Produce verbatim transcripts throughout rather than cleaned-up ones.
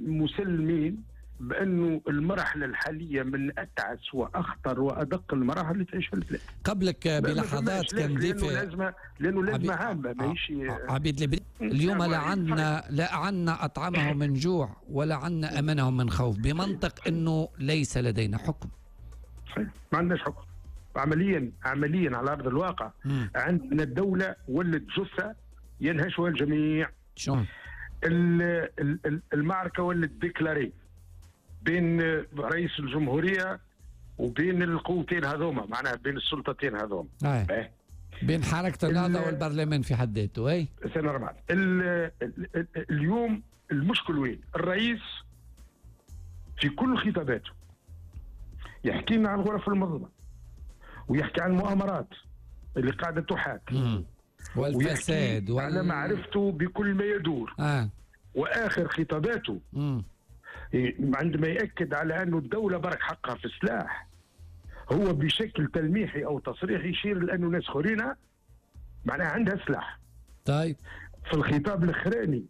مسلمين بأنه المرحلة الحالية من أتعس وأخطر وأدق المراحل اللي تعيشها البلاد. قبلك بلحظات كان ضيف لأنه لأنه لازمة عامة ماهيش عبيد البريكي. اليوم لا عندنا لا عندنا أطعمهم من جوع ولا عندنا أمنهم من خوف، بمنطق أنه ليس لدينا حكم. صحيح، ما عندناش حكم عمليا. عمليا على أرض الواقع م. عندنا الدولة ولت جثة ينهشها الجميع. شو المعركة ولت déclarée بين رئيس الجمهورية وبين القوتين هذوما، معناها بين السلطتين هذوما، آه. بين حركة النهضة والبرلمان في حد ذاته. اي c'est normal. اليوم المشكل وين؟ الرئيس في كل خطاباته يحكي لنا عن الغرف المظلمة ويحكي عن المؤامرات اللي قاعدة تحاك والفساد وال... على معرفته بكل ما يدور. آه. واخر خطاباته مم. عندما يأكد على أن الدولة برك حقها في السلاح، هو بشكل تلميحي أو تصريحي يشير لأنه ناس خرينة معناها عندها سلاح. طيب في الخطاب الأخراني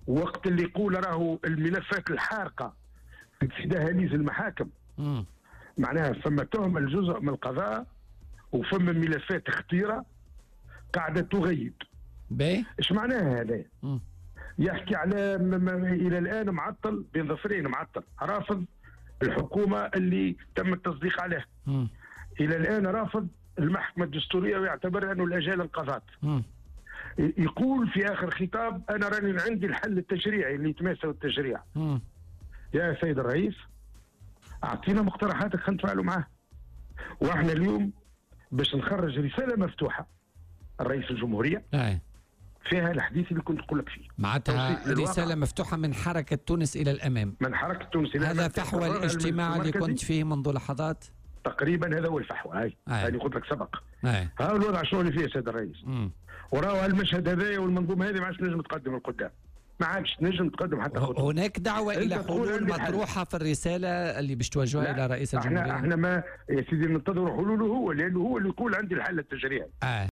وقت اللي يقول راهو الملفات الحارقة في دهاليز المحاكم، مم. معناها فما تهمة الجزء من القضاء وفما ملفات خطيرة قاعدة تغيب. باهي ايش معناها هذا؟ يحكي على الى الان معطل بين ظفرين، معطل رافض الحكومة اللي تم التصديق عليها. م. الى الان رافض المحكمة الدستورية ويعتبر انه الاجال انقضت. يقول في اخر خطاب انا راني عندي الحل التشريعي اللي يتماسى التشريع. م. يا سيد الرئيس اعطينا مقترحاتك خلينا نتفاعلوا معاه. واحنا اليوم باش نخرج رسالة مفتوحة الرئيس الجمهورية أي. فيها الحديث اللي كنت نقول لك فيه، معناتها رسالة مفتوحة من حركة تونس إلى الأمام. من حركة تونس إلى الأمام. هذا فحوى الاجتماع اللي كنت فيه منذ لحظات تقريبا، هذا هو الفحوى. هاي هاني قلت لك سبق. ها الوضع شنو اللي فيه سيد الرئيس. وراهو المشهد هذايا والمنظومة هذه ما عادش تنجم تقدم القدام، ما عادش تنجم تقدم حتى خطوة. هناك دعوة إلى حلول مطروحة في الرسالة اللي باش توجهها إلى رئيس الجمهورية. احنا احنا ما يا سيدي ننتظروا حلوله هو، لأنه هو اللي يقول عندي الحل التشريعي. آه.